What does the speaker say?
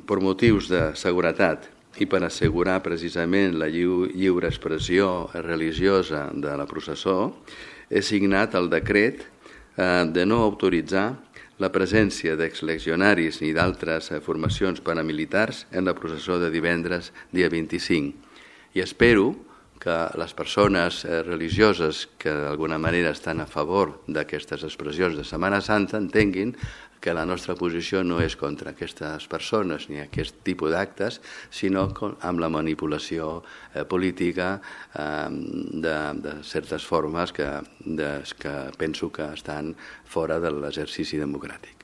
per motius de seguretat i per assegurar precisament la lliure expressió religiosa de la processó, he signat el decret de no autoritzar la presència d'exlegionaris ni d'altres formacions paramilitars en la processó de divendres, dia 25. I espero que les persones religioses que d'alguna manera estan a favor d'aquestes expressions de Setmana Santa entenguin que la nostra posició no és contra aquestes persones ni aquest tipus d'actes, sinó amb la manipulació política de certes formes que penso que estan fora de l'exercici democràtic.